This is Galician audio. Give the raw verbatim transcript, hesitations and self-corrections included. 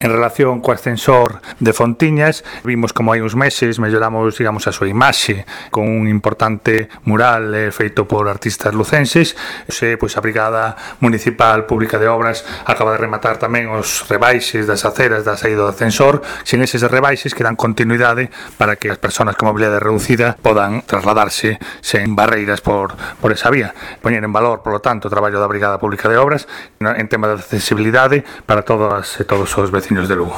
En relación co ascensor de Fontiñas, vimos como hai uns meses melloramos, digamos, a súa imaxe con un importante mural eh, feito por artistas lucenses. Se, pois, a Brigada Municipal Pública de Obras acaba de rematar tamén os rebaixes das aceras da saída do ascensor, sen eses rebaixes que dan continuidade para que as persoas con mobilidade reducida podan trasladarse sen barreiras por, por esa vía. Poñer en valor, polo tanto, o traballo da Brigada Pública de Obras en tema de accesibilidade para todas e todos os vecinos de Lugo.